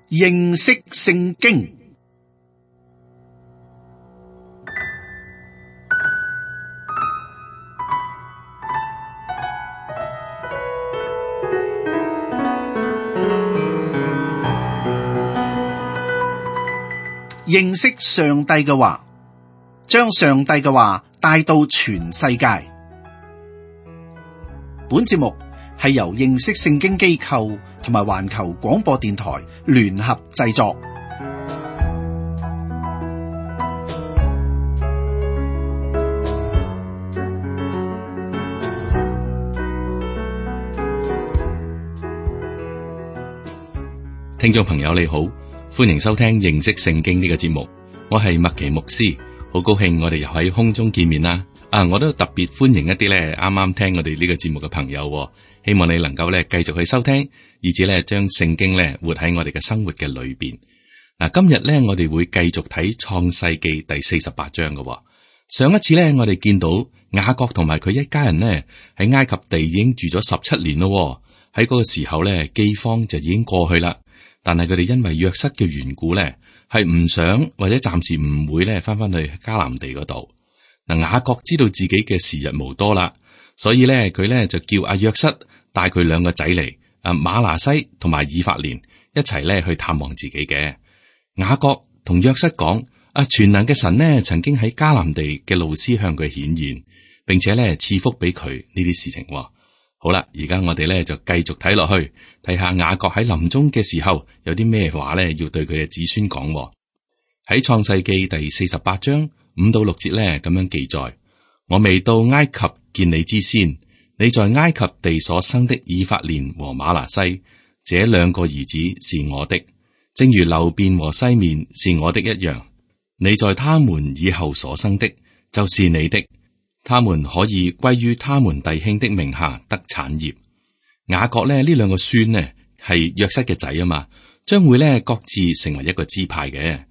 認識聖經。認識上帝嘅話，將上帝嘅話帶到全世界。本節目係由認識聖經機構同埋環球廣播電台聯合製作。聽眾朋友你好，歡迎收聽認識聖經呢個節目，我係麥奇牧師，好高興我哋又喺空中見面啦。我都特別歡迎一啲咧啱啱聽我哋呢個節目嘅朋友，希望你能夠咧繼續去收聽，以至咧將聖經咧活喺我哋嘅生活嘅裏邊。今日咧我哋會繼續睇創世記第48章嘅。上一次咧我哋見到雅各同埋佢一家人呢喺埃及地已經住咗17年咯，喺嗰個時候咧饑荒就已經過去啦。但係佢哋因為約瑟嘅緣故咧，係唔想或者暫時唔會咧翻去迦南地嗰度。雅各知道自己嘅時日無多啦，所以咧佢咧就叫阿約瑟帶佢兩個仔嚟，馬拿西同埋以法蓮一齊咧去探望自己嘅。雅各同約瑟講：全能嘅神呢曾經喺迦南地嘅路斯向佢顯現，並且咧賜福俾佢呢啲事情。好啦，而家我哋咧就繼續睇落去，睇下雅各喺臨終嘅時候有啲咩話咧要對佢嘅子孫講。喺創世記第48章5到6節咧咁樣記載：我未到埃及見你之先，你在埃及地所生的以法蓮和瑪拿西這兩個兒子是我的，正如流便和西面是我的一樣。你在他們以後所生的，就是你的。他們可以歸於他們弟兄的名下得產業。雅各呢兩個孫呢係約瑟嘅仔啊嘛，將會呢各自成為一個支派嘅。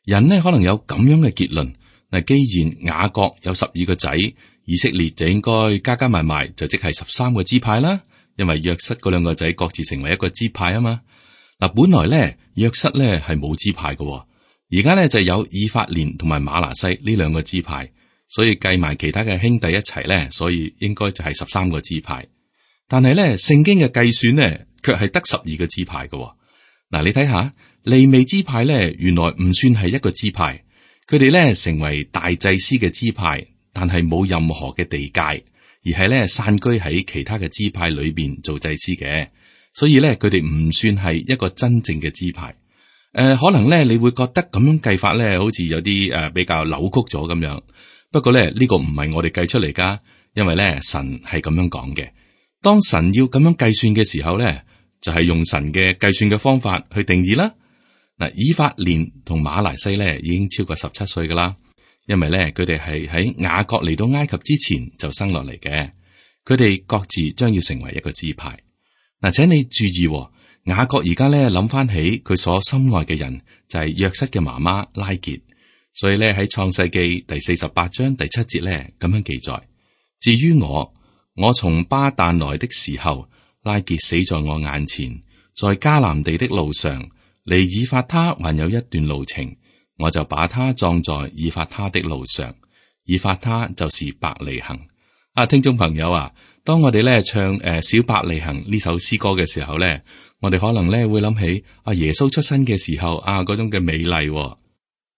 人呢可能有咁樣嘅結論，既然雅各有12個仔，以色列就應該加加埋埋就即係13個支派啦。因為約瑟嗰兩個仔各自成為一個支派啊嘛。本來呢約瑟呢係冇支派嘅，而家呢就有以法蓮同埋瑪拿西呢兩個支派。所以計埋其他嘅兄弟一齊咧，所以應該就係13個支派。但係咧，聖經嘅計算咧，卻係得12個支派嘅。你睇下利未支派咧，原來唔算係一個支派，佢哋咧成為大祭司嘅支派，但係冇任何嘅地界，而係咧散居喺其他嘅支派裏邊做祭司嘅。所以咧，佢哋唔算係一個真正嘅支派。可能咧你會覺得咁樣計法咧，好似有啲比較扭曲咗咁樣。不過咧，呢個唔係我哋計出嚟噶，因為咧神係咁樣講嘅。當神要咁樣計算嘅時候咧，就係用神嘅計算嘅方法去定義啦。以法蓮同瑪拿西咧已經超過17歲噶啦，因為咧佢哋係喺雅各嚟到埃及之前就生落嚟嘅。佢哋各自將要成為一個支派。請你注意，雅各而家咧諗翻起佢所心愛嘅人就係約瑟嘅媽媽拉結。所以咧喺創世記第48章第7節咧咁樣記載：至於我從巴旦來的時候，拉結死在我眼前，在迦南地的路上，離以法他還有一段路程，我就把他葬在以法他的路上。以法他就是伯利恆。聽眾朋友啊，當我哋咧唱小伯利恆呢首詩歌嘅時候咧，我哋可能咧會諗起耶穌出生嘅時候嗰種嘅美麗。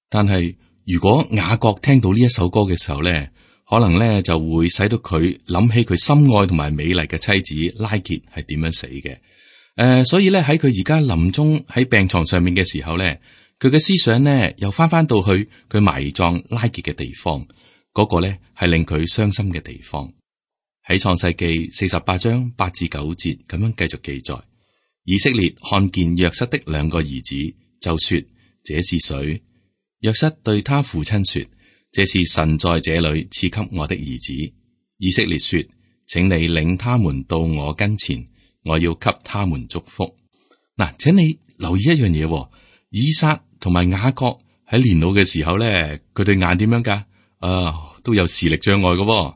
但係如果雅各聽到呢一首歌嘅時候咧，可能咧就會使到佢諗起佢心愛同埋美麗嘅妻子拉結係點樣死嘅。所以咧喺佢而家臨終喺病床上面嘅時候咧，佢嘅思想咧又翻到去佢埋葬拉結嘅地方，嗰個咧係令佢傷心嘅地方。喺創世記48章8至9節咁樣繼續記載：以色列看見約瑟的2個兒子，就說：這是誰？約瑟對他父親說：這是神在這裏賜給我的兒子。以色列說：請你領他們到我跟前，我要給他們祝福。請你留意一樣嘢，以撒同埋雅各喺年老嘅時候咧，佢對眼點樣噶？都有視力障礙嘅。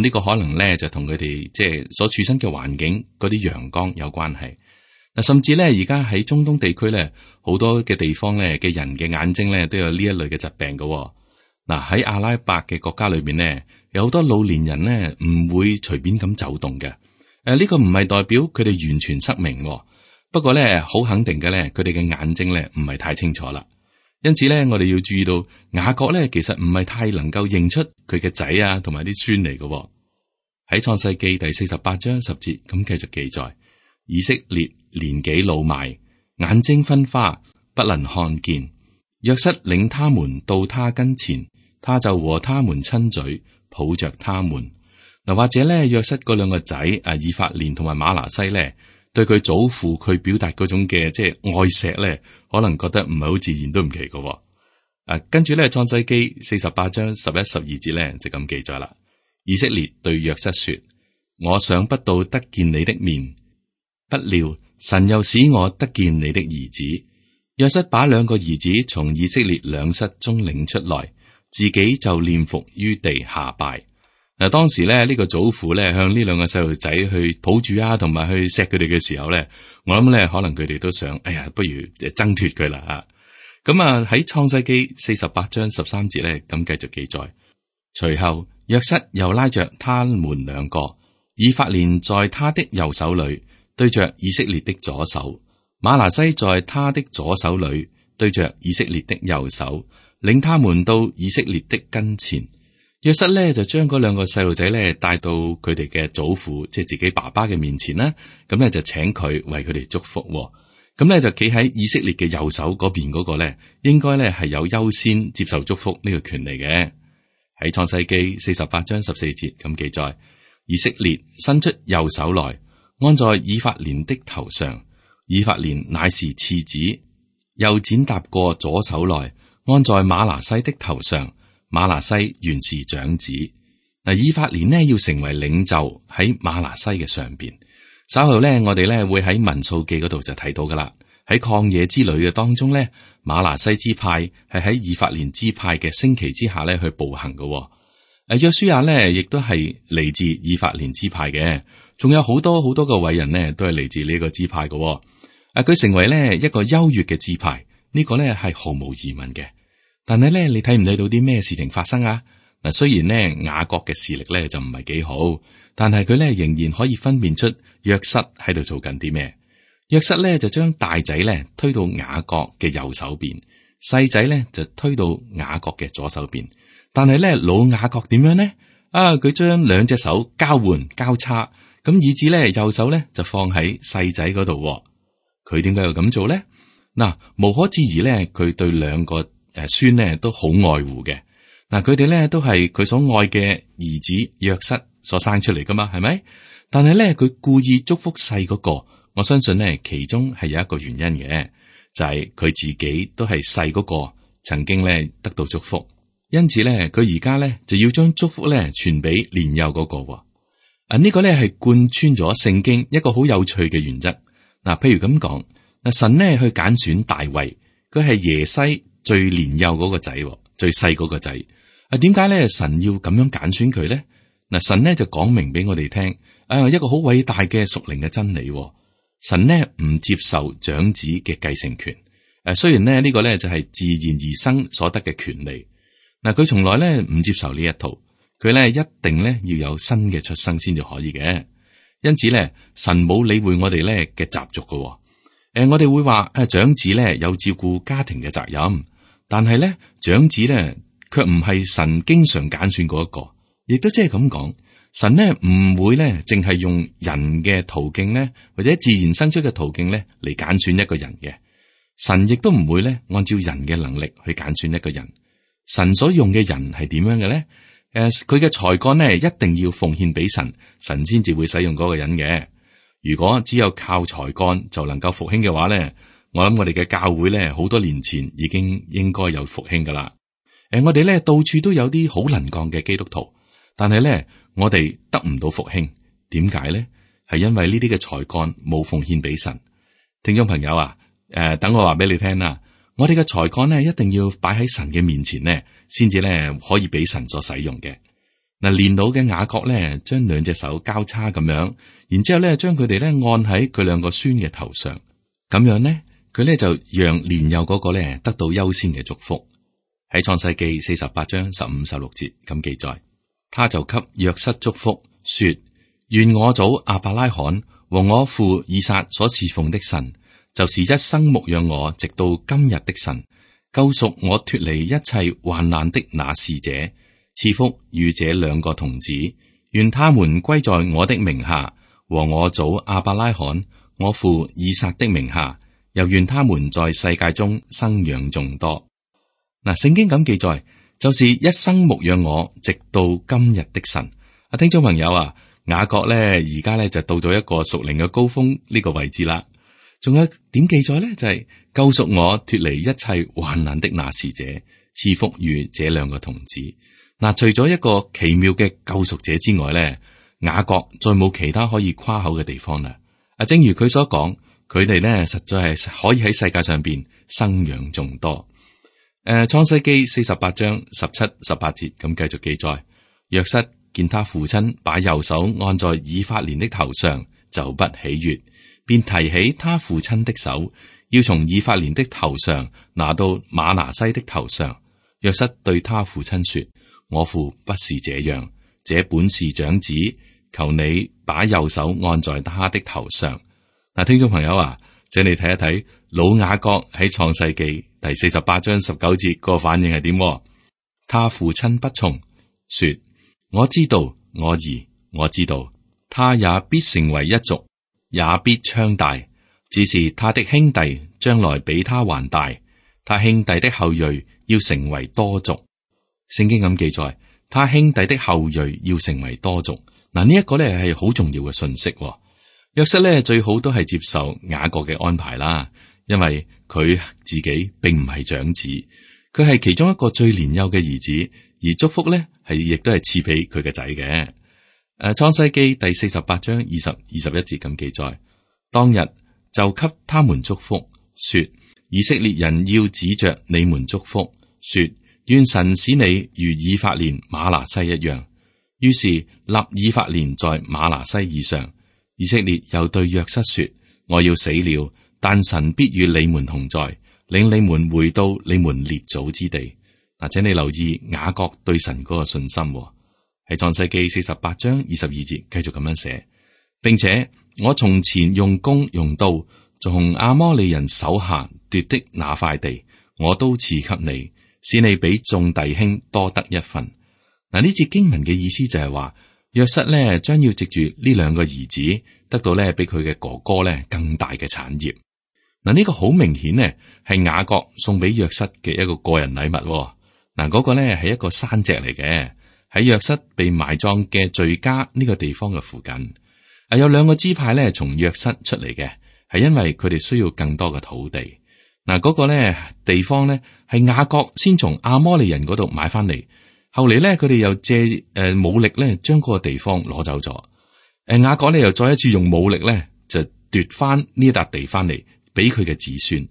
呢個可能咧就同佢哋即係所處身嘅環境嗰啲陽光有關係。嗱，甚至咧而家喺中東地區咧，好多嘅地方咧嘅人嘅眼睛咧都有呢一類嘅疾病嘅。嗱，喺阿拉伯嘅國家裏邊咧，有好多老年人咧唔會隨便咁走動嘅。呢個唔係代表佢哋完全失明，不過咧好肯定嘅咧，佢哋嘅眼睛咧唔係太清楚啦。因此咧，我哋要注意到雅各咧，其實唔係太能夠認出佢嘅仔啊，同埋啲孫嚟嘅。喺創世記第48章10節咁繼續記載，以色列年紀老邁，眼睛昏花，不能看見。約瑟領他們到他跟前，他就和他們親嘴，抱着他們。嗱，或者咧，約瑟嗰兩個仔以法蓮同埋瑪拿西咧，對佢祖父佢表達嗰種嘅即係愛錫咧，可能覺得唔係好自然都唔奇嘅。跟住咧，創世記48章11、12節咧就咁記載啦。以色列對約瑟說：我想不到得見你的面，不料神又使我得見你的兒子。約瑟把兩個兒子從以色列兩室中領出來，自己就臉伏於地下拜。嗱，當時咧呢個祖父咧向呢兩個細路仔去抱住啊，同埋去錫佢哋嘅時候咧，我諗咧可能佢哋都想，哎呀，不如就掙脫佢啦吓。咁啊喺創世記48章13節咧咁繼續記載，隨後約瑟又拉着他們兩個，以法蓮在他的右手裏對着以色列的左手，瑪拿西在他的左手裏對着以色列的右手，領他們到以色列的跟前。約瑟咧就將嗰兩個細路仔咧帶到佢哋嘅祖父，即係自己爸爸嘅面前啦。咁咧就請佢為佢哋祝福。咁咧就企喺以色列嘅右手嗰邊嗰個咧，應該咧係有優先接受祝福呢個權利嘅。喺創世記48章14節咁記載，以色列伸出右手來，按在以法蓮的頭上，以法蓮乃是次子；又剪搭過左手來，按在瑪拿西的頭上。瑪拿西原是長子。嗱，以法蓮呢要成為領袖喺瑪拿西嘅上邊。稍後咧，我哋咧會喺民數記嗰度就睇到噶啦。喺曠野之旅嘅當中咧，瑪拿西支派係喺以法蓮支派嘅升旗之下咧去步行嘅。約書亞咧亦都係嚟自以法蓮支派嘅，仲有好多好多個偉人呢都係嚟自呢個支派嘅。佢成為咧一個優越嘅支派，呢個咧係毫無疑問嘅。但係咧，你睇唔睇到啲咩事情發生啊？嗱，雖然咧雅各嘅視力咧就唔係幾好，但係佢咧仍然可以分辨出約瑟喺度做緊啲咩。約瑟咧就將大仔咧推到雅各嘅右手邊，細仔咧就推到雅各嘅左手邊。但係咧老雅各點樣呢？佢將兩隻手交換交叉，咁以至咧右手咧就放喺細仔嗰度。佢點解要咁做咧？嗱，無可置疑咧，佢對兩個孫呢都好愛護嘅。嗱，佢哋咧都係佢所愛嘅兒子約瑟所生出嚟噶嘛，係咪？但係咧佢故意祝福細嗰個，我相信呢其中係有一個原因嘅，就係佢自己都係細嗰個，曾經咧得到祝福，因此咧佢而家咧就要將祝福咧傳俾年幼嗰個。呢個咧係貫穿咗聖經一個好有趣嘅原則。嗱，譬如咁講，神呢去揀選大衛，佢係耶西最年幼嗰個仔，最細嗰個仔。點解咧神要咁樣揀選佢咧？嗱，神呢就講明俾我哋聽，一個好偉大嘅屬靈嘅真理。神呢唔接受長子嘅繼承權。雖然呢個咧就係自然而生所得嘅權利。嗱，佢從來咧唔接受呢一套，佢咧一定咧要有新嘅出生先至可以嘅。因此咧，神冇理會我哋咧嘅習俗噶。我哋會話長子咧有照顧家庭嘅責任。但係咧，長子咧卻唔係神經常揀選嗰一個，亦都即係咁講，神呢唔會咧淨係用人嘅途徑咧，或者自然生出嘅途徑咧嚟揀選一個人嘅。神亦都唔會咧按照人嘅能力去揀選一個人。神所用嘅人係點樣嘅咧？佢嘅才幹呢一定要奉獻俾神，神先至會使用嗰個人嘅。如果只有靠才幹就能夠復興嘅話咧，我諗我哋嘅教會咧，好多年前已經應該有復興噶啦。我哋咧到處都有啲好能幹嘅基督徒，但係咧我哋得唔到復興，點解咧？係因為呢啲嘅才幹冇奉獻俾神。聽眾朋友啊，等我話俾你聽啦，我哋嘅才幹咧一定要擺喺神嘅面前咧，先至咧可以俾神所使用嘅。嗱，年老嘅雅各咧，將兩隻手交叉咁樣，然之後咧將佢哋咧按喺佢兩個孫嘅頭上。咁樣呢，佢呢就讓年幼嗰個呢得到優先嘅祝福。喺創世記48章15、16節咁記載，他就給約瑟祝福，說：願我祖亞伯拉罕和我父以撒所侍奉的神，就是一生牧養我直到今日的神，救贖我脫離一切患難的那使者，賜福與這兩個童子，願他們歸在我的名下，和我祖亞伯拉罕、我父以撒的名下，又願他們在世界中生養眾多。嗱，聖經咁記載，就是一生牧養我直到今日的神。啊，聽眾朋友啊，雅各咧而家咧就到咗一個屬靈嘅高峰呢個位置啦。仲有點記載咧，就係救贖我脫離一切患難的那使者，賜福與這兩個童子。嗱，除咗一個奇妙嘅救贖者之外咧，雅各再冇其他可以誇口嘅地方啦。啊，正如佢所講，佢哋咧實在係可以喺世界上邊生養眾多。創世記48章17、18節咁繼續記載，約瑟見他父親把右手按在以法蓮的頭上，就不喜悅，便提起他父親的手，要從以法蓮的頭上拿到瑪拿西的頭上。約瑟對他父親說：我父不是這樣，這本是長子，求你把右手按在他的頭上。嗱，聽眾朋友啊，請你睇一睇老雅各喺創世記第48章19節個反應係點？他父親不從，說：我知道，我兒，我知道，他也必成為一族，也必昌大，只是他的兄弟將來比他還大，他兄弟的後裔要成為多族。聖經咁記載，他兄弟的後裔要成為多族。嗱，呢一個咧係好重要嘅信息。約瑟咧最好都係接受雅各嘅安排啦，因為佢自己並唔係長子，佢係其中一個最年幼嘅兒子，而祝福咧係亦都係賜俾佢嘅仔嘅。創世記第48章20、21節咁記載，當日就給他們祝福，說：以色列人要指着你們祝福，說：願神使你如以法蓮、瑪拿西一樣。於是立以法蓮在瑪拿西以上。以色列又對約瑟說：我要死了，但神必與你們同在，領你們回到你們列祖之地。嗱，請你留意雅各對神嗰個信心，喺創世記48章22節繼續咁樣寫，並且我從前用弓用刀從亞摩利人手下奪的那塊地，我都賜給你，使你比眾弟兄多得一份。嗱，呢節經文嘅意思就係話，約瑟咧將要藉住呢兩個兒子得到咧比佢嘅哥哥咧更大嘅產業。嗱，呢個好明顯呢係雅各送俾約瑟嘅一個個人禮物。嗱，嗰個咧係一個山脊嚟嘅，喺約瑟被埋葬嘅敘加呢個地方嘅附近。有兩個支派咧從約瑟出嚟嘅，係因為佢哋需要更多嘅土地。嗱，嗰個咧地方咧係雅各先從亞摩利人嗰度買翻嚟。後嚟咧，佢哋又借武力咧，將嗰個地方攞走咗。雅各咧又再一次用武力咧，就奪翻呢一笪地翻嚟，俾佢嘅子孫。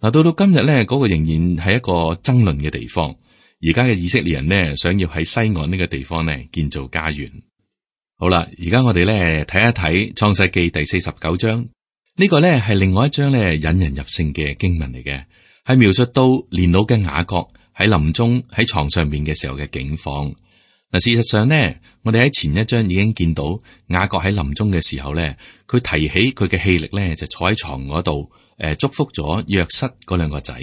嗱，到今日咧，嗰個仍然係一個爭論嘅地方。而家嘅以色列人呢，想要喺西岸呢個地方咧建造家園。好啦，而家我哋咧睇一睇創世記第49章，呢個咧係另外一章咧引人入勝嘅經文嚟嘅，係描述到年老嘅雅各喺臨終喺床上面嘅時候嘅境況。嗱，事實上呢，我哋喺前一章已經見到雅各喺臨終嘅時候咧，佢提起佢嘅氣力咧，就坐喺床嗰度，祝福咗約瑟嗰兩個仔。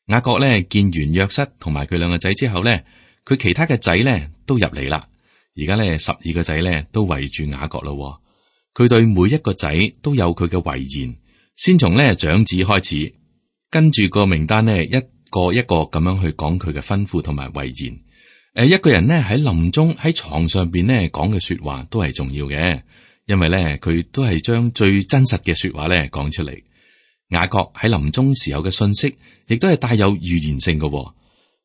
雅各咧見完約瑟同埋佢兩個仔之後咧，佢其他嘅仔咧都入嚟啦。而家咧12個仔咧都圍住雅各咯。佢對每一個仔都有佢嘅遺言，先從咧長子開始，跟住個名單咧一個一個咁樣去講佢嘅吩咐同埋遺言。一個人咧喺臨終喺床上邊咧講嘅說話都係重要嘅，因為咧佢都係將最真實嘅說話咧講出嚟。雅各喺臨終時候嘅信息，亦都係帶有預言性嘅。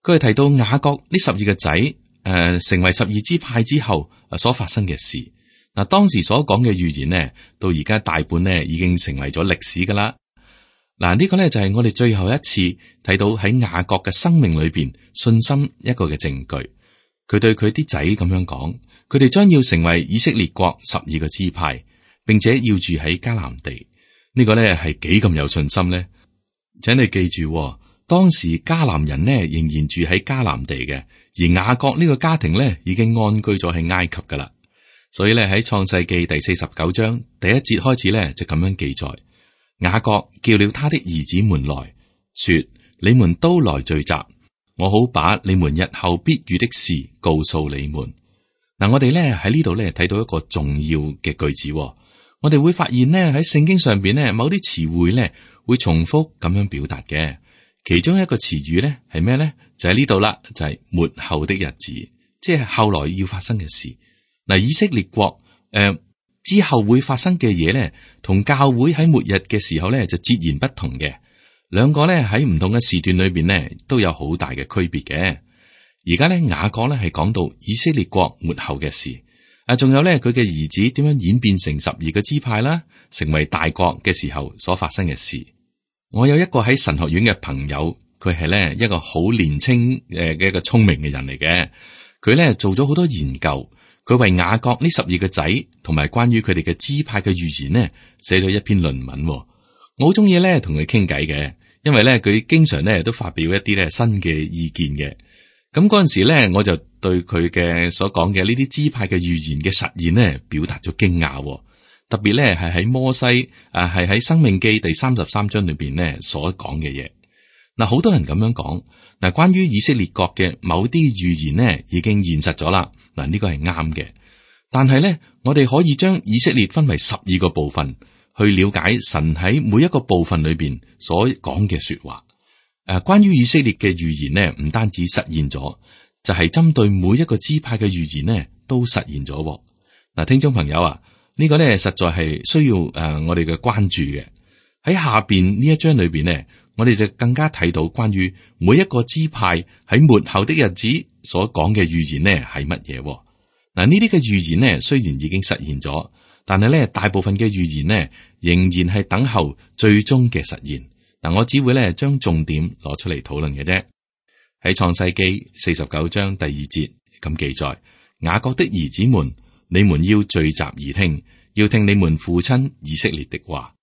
佢係提到雅各呢12個仔成為12支派之後所發生嘅事。嗱，當時所講嘅預言呢，到而家大半呢已經成為咗歷史噶啦。嗱，呢個呢就係我哋最後一次睇到喺雅各嘅生命裏邊信心一個嘅證據。佢對佢啲仔咁樣講，佢哋將要成為以色列國12個支派，並且要住喺迦南地。呢個咧係幾咁有信心呢？請你記住，當時迦南人呢仍然住喺迦南地嘅，而雅各呢個家庭呢已經安居咗喺埃及噶啦。所以咧喺創世記第49章第1節開始咧就咁樣記載：雅各叫了他的兒子們來，說：你們都來聚集，我好把你們日後必遇的事告訴你們。嗱，我哋咧喺呢度咧睇到一個重要嘅句子，我哋會發現呢，喺聖經上邊呢，某啲詞彙咧會重複咁樣表達嘅。其中一個詞語咧係咩咧？就喺呢度啦，就係末後的日子，即係後來要發生嘅事。嗱，以色列國之後會發生嘅嘢咧，同教會喺末日嘅時候咧就截然不同嘅。兩個咧喺唔同嘅時段裏邊咧都有好大嘅區別嘅。而家咧雅各咧係講到以色列國末後嘅事，仲有咧佢嘅兒子點樣演變成12個支派啦，成為大國嘅時候所發生嘅事。我有一個喺神學院嘅朋友，佢係咧一個好年輕嘅一個聰明嘅人嚟嘅，佢咧做咗好多研究。佢為雅各呢12個仔同埋關於佢哋嘅支派嘅預言呢，寫咗一篇論文。我好中意咧同佢傾偈嘅，因為咧佢經常咧都發表一啲咧新嘅意見嘅。咁嗰陣時咧，我就對佢嘅所講嘅呢啲支派嘅預言嘅實現呢，表達咗驚訝。特別咧係喺摩西係喺申命記第33章裏邊呢所講嘅嘢。嗱，好多人咁樣講。嗱，關於以色列國嘅某啲預言呢，已經現實咗啦。嗱，呢個係啱嘅。但係咧，我哋可以將以色列分為12個部分，去了解神喺每一個部分裏邊所講嘅說話。關於以色列嘅預言呢，唔單止實現咗，就係針對每一個支派嘅預言呢，都實現咗。嗱，聽眾朋友啊，呢個咧實在係需要我哋嘅關注嘅。喺下邊呢一章裏邊呢，我哋就更加睇到關於每一個支派喺末後的日子所講嘅預言呢係乜嘢。嗱，呢啲嘅預言呢雖然已經實現咗，但係咧大部分嘅預言呢仍然係等候最終嘅實現。嗱，我只會咧將重點攞出嚟討論嘅啫。喺創世記49章第2節咁記載：雅各的兒子們，你們要聚集而聽，要聽你們父親以色列的話。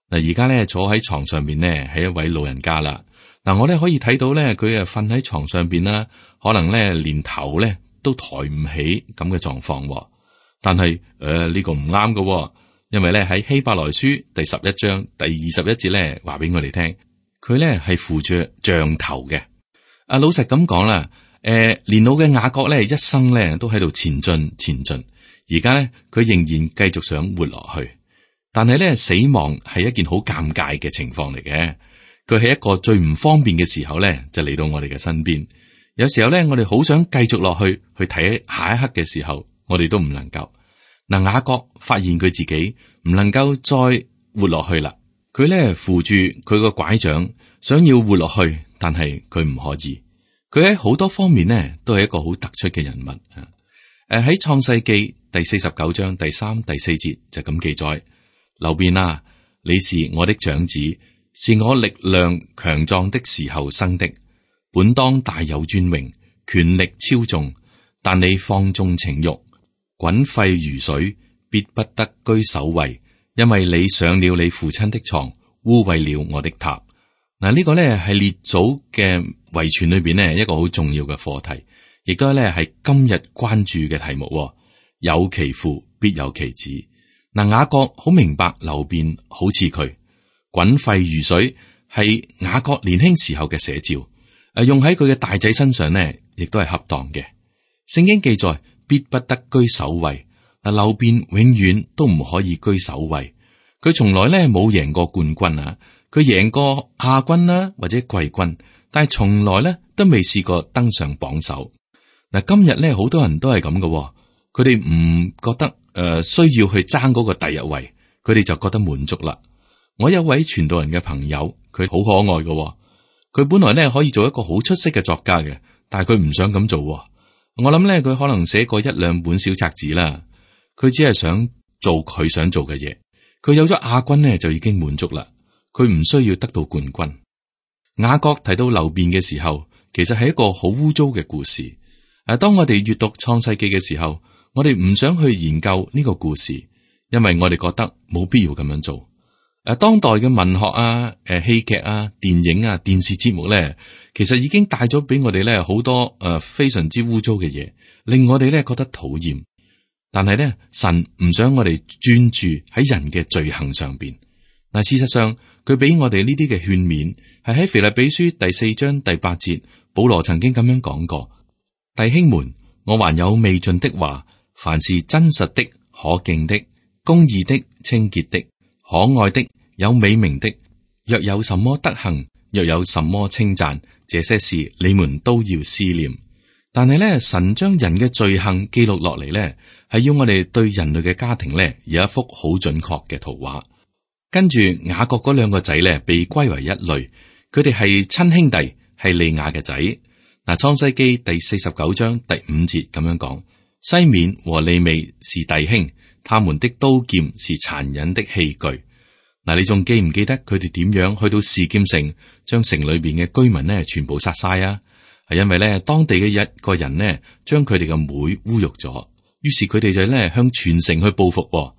嗱，而家咧坐喺床上邊呢係一位老人家啦。嗱，我咧可以睇到咧佢瞓喺床上邊啦，可能咧連頭咧都抬唔起咁嘅狀況。但係呢個唔啱㗎。因為咧喺希伯來書第11章第21節咧話俾我哋聽，佢咧係扶住杖頭嘅。老實咁講啦，年老嘅雅各咧一生咧都喺度前進。而家咧佢仍然繼續想活落去，但係咧死亡係一件好尷尬嘅情況嚟嘅。佢喺一個最唔方便嘅時候咧就嚟到我哋嘅身邊。有時候咧我哋好想繼續落去睇下一刻嘅時候，我哋都唔能夠。嗱，雅各發現佢自己唔能夠再活落去啦，佢咧扶住佢個拐杖，想要活落去，但係佢唔可以。佢喺好多方面呢都係一個好突出嘅人物。喺創世記第49章第3、第4節就咁記載：流便啊，你是我的長子，是我力量強壯的時候生的，本當大有尊榮，權力超重，但你放縱情慾，滾沸如水，必不得居首位，因為你上了你父親的床，污穢了我的榻。嗱，呢個咧係列祖嘅遺傳裏邊呢一個好重要嘅課題，亦都咧係今日關注嘅題目。有其父必有其子。嗱，雅各好明白流便好似佢，滾沸如水係雅各年輕時候嘅寫照。用喺佢嘅大仔身上呢，亦都係恰當嘅。聖經記載，必不得居首位。嗱，流便永遠都唔可以居首位。佢從來咧冇贏過冠軍啊，佢贏過亞軍啦或者季軍，但係從來咧都未試過登上榜首。嗱，今日咧好多人都係咁嘅，佢哋唔覺得需要去爭嗰個第一位，佢哋就覺得滿足啦。我有位傳道人嘅朋友，佢好可愛嘅，佢本來咧可以做一個好出色嘅作家嘅，但係佢唔想咁做。我諗咧，佢可能寫過1-2本小冊子啦。佢只係想做佢想做嘅嘢。佢有咗亞軍呢，就已經滿足啦。佢唔需要得到冠軍。雅各提到流便嘅時候，其實係一個好污糟嘅故事。當我哋閱讀創世記嘅時候，我哋唔想去研究呢個故事，因為我哋覺得冇必要咁樣做。當代嘅文學啊、戲劇啊、電影啊、電視節目咧，其實已經帶咗俾我哋咧好多非常之污糟嘅嘢，令我哋咧覺得討厭。但係咧，神唔想我哋專注喺人嘅罪行上邊。嗱，事實上佢俾我哋呢啲嘅勸勉，係喺腓立比書第4章第8節，保羅曾經咁樣講過：弟兄們，我還有未盡的話，凡是真實的、可敬的、公義的、清潔的、可愛的、有美名的，若有什麼德行，若有什麼稱讚，這些事你們都要思念。但係咧，神將人嘅罪行記錄落嚟咧，係要我哋對人類嘅家庭咧有一幅好準確嘅圖畫。跟住雅各嗰2個仔咧被歸為一類，佢哋係親兄弟，係利亞嘅仔。嗱，創世記第49章第5節咁樣講：西緬和利未是弟兄，他們的刀劍是殘忍的器具。嗱，你仲記唔記得佢哋點樣去到示劍城，將城裏邊嘅居民呢全部殺晒啊？係因為咧當地嘅一個人呢將佢哋嘅妹侮辱咗，於是佢哋就咧向全城去報復。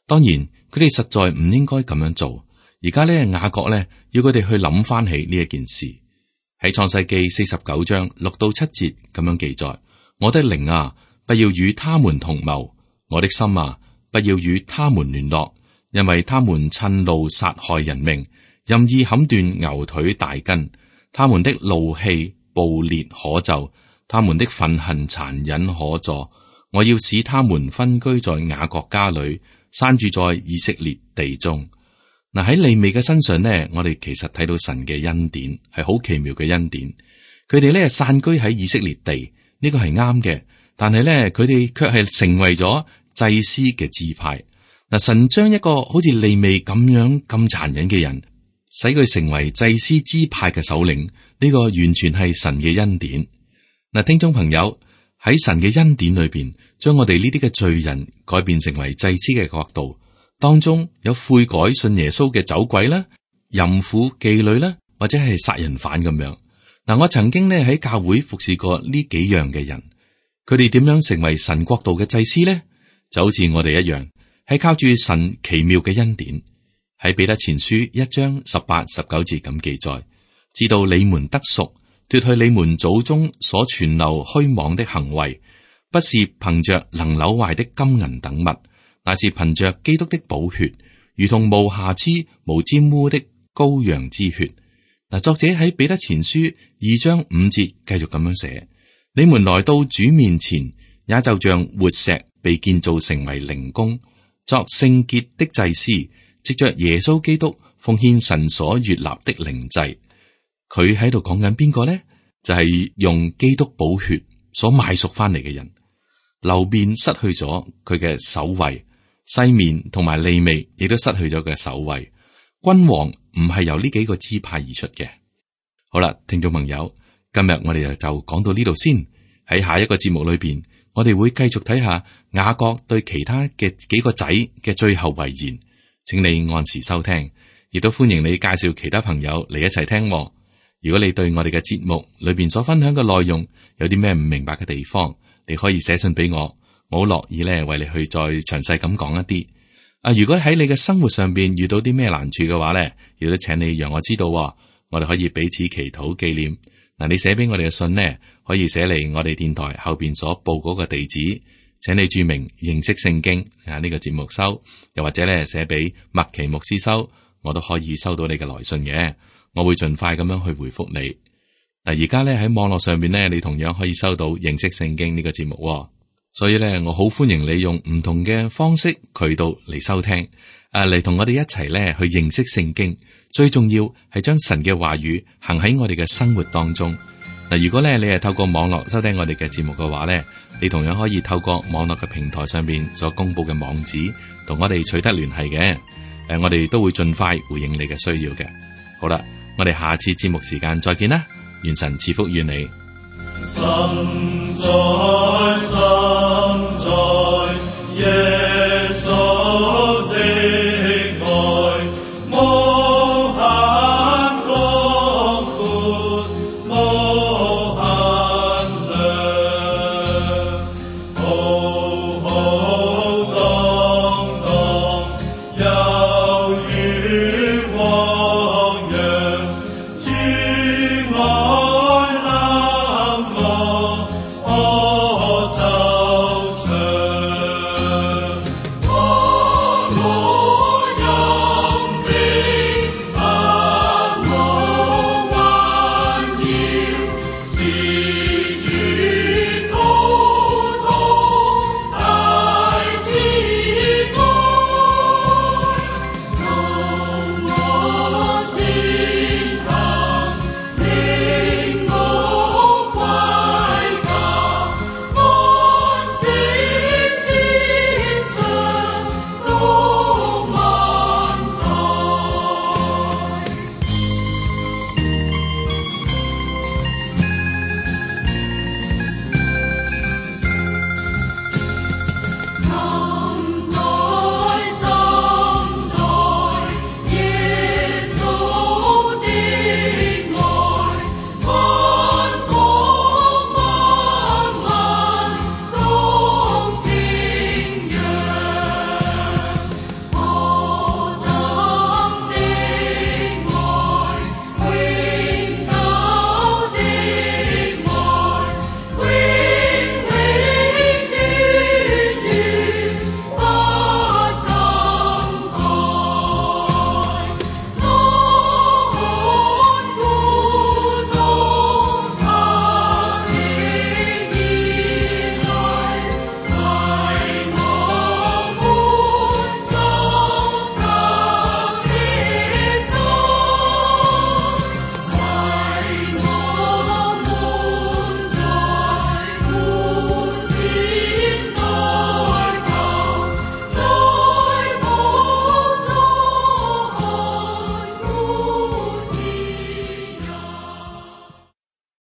當然佢哋實在唔應該咁樣做。而家咧雅各咧要佢哋去諗翻起呢一件事。喺創世記49章6到7節咁樣記載：我的靈啊，不要與他們同謀；我的心啊，不要與他們聯絡，因為他們趁怒殺害人命，任意砍斷牛腿大筋。他們的怒氣暴烈可咒，他們的憤恨殘忍可助。我要使他們分居在雅各家裏，散住在以色列地中。嗱，喺利未嘅身上呢，我哋其實睇到神嘅恩典，係好奇妙嘅恩典。佢哋咧散居喺以色列地，呢個係啱嘅。但係咧，佢哋卻係成為咗祭司嘅支派。嗱，神將一個好似利未咁樣咁殘忍嘅人，使佢成為祭司支派嘅首領。呢個完全係神嘅恩典。嗱，聽眾朋友，喺神嘅恩典裏邊，將我哋呢啲嘅罪人改變成為祭司嘅國度，當中有悔改信耶穌嘅走鬼啦、淫婦妓女啦，或者係殺人犯咁樣。嗱，我曾經呢喺教會服侍過呢幾樣嘅人，佢哋點樣成為神國度嘅祭司呢？就好似我哋一樣，係靠住神奇妙嘅恩典。喺彼得前書1章18、19節咁記載。知道你們得贖，脫去你們祖宗所存留虛妄的行為，不是憑着能朽壞的金銀等物，乃是憑着基督的寶血，如同無瑕疵、無沾污的羔羊之血。嗱，作者喺彼得前書2章5節繼續咁樣寫：你們來到主面前，也就像活石被建造成為靈宮，作聖潔的祭司，藉着耶穌基督奉獻神所悅納的靈祭。佢喺度講緊邊個咧？就係用基督寶血所買贖翻嚟嘅人。流便失去咗佢嘅首位，西面同埋利未亦都失去咗佢嘅首位。君王唔係由呢幾個支派而出嘅。好啦，聽眾朋友，今日我哋就講到呢度先。喺下一個節目裏邊，我哋會繼續睇下雅各對其他嘅幾個仔嘅最後遺言。請你按時收聽，亦都歡迎你介紹其他朋友嚟一齊聽。如果你對我哋嘅節目裏邊所分享嘅內容有啲咩唔明白嘅地方，你可以寫信俾我，我好樂意咧為你去再詳細咁講一啲。如果喺你嘅生活上邊遇到啲咩難處嘅話咧，亦都請你讓我知道，我哋可以彼此祈禱紀念。嗱，你寫俾我哋嘅信呢，可以寫嚟我哋電台後邊所報嗰個地址，請你注明認識聖經呢個節目收，又或者咧寫俾麥奇牧師收，我都可以收到你嘅來信嘅。我會盡快咁樣去回覆你。嗱，而家咧喺網絡上邊咧，你同樣可以收到認識聖經呢個節目，所以咧我好歡迎你用唔同嘅方式渠道嚟收聽，嚟同我哋一齊咧去認識聖經。最重要係將神嘅話語行喺我哋嘅生活當中。嗱，如果咧你係透過網絡收聽我哋嘅節目嘅話咧，你同樣可以透過網絡嘅平台上邊所公布嘅網址，同我哋取得聯繫嘅。我哋都會盡快回應你嘅需要嘅。好啦。我哋下次節目時間再見啦，願神賜福於你。神在，神在，耶穌的愛，無限廣闊，無限量，浩浩蕩蕩，猶如我